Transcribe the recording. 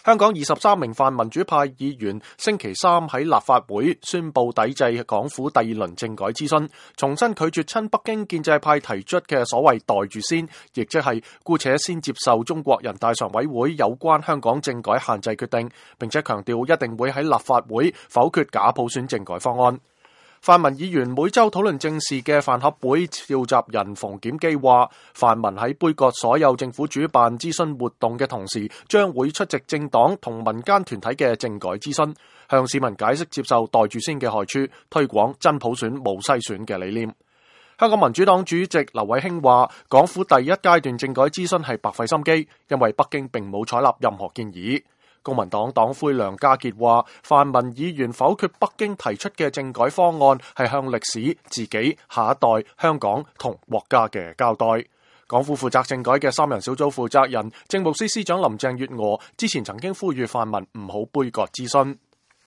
香港23名泛民主派議員星期三喺立法會宣布抵制港府第二輪政改諮詢，重新拒絕親北京建制派提出嘅所謂袋住先，亦即係姑且先接受中國人大常委會有關香港政改限制決定，並且強調一定會喺立法會否決假普選政改方案。泛民議員每周討論政事嘅飯盒會召集人馮檢基話，泛民喺杯葛所有政府主辦諮詢活動嘅同時，將會出席政黨同民間團體嘅政改諮詢，向市民解釋接受袋住先嘅害處，推廣真普選無篩選嘅理念。香港民主黨主席劉慧卿話，港府第一階段政改諮詢係白費心機，因為北京並冇採納任何建議。公民黨黨魁梁家傑話，泛民議員否決北京提出嘅政改方案係向歷史、自己、下一代、香港同國家嘅交代。港府負責政改嘅3人小組負責人政務司司長林鄭月娥之前曾經呼籲泛民唔好杯葛諮詢。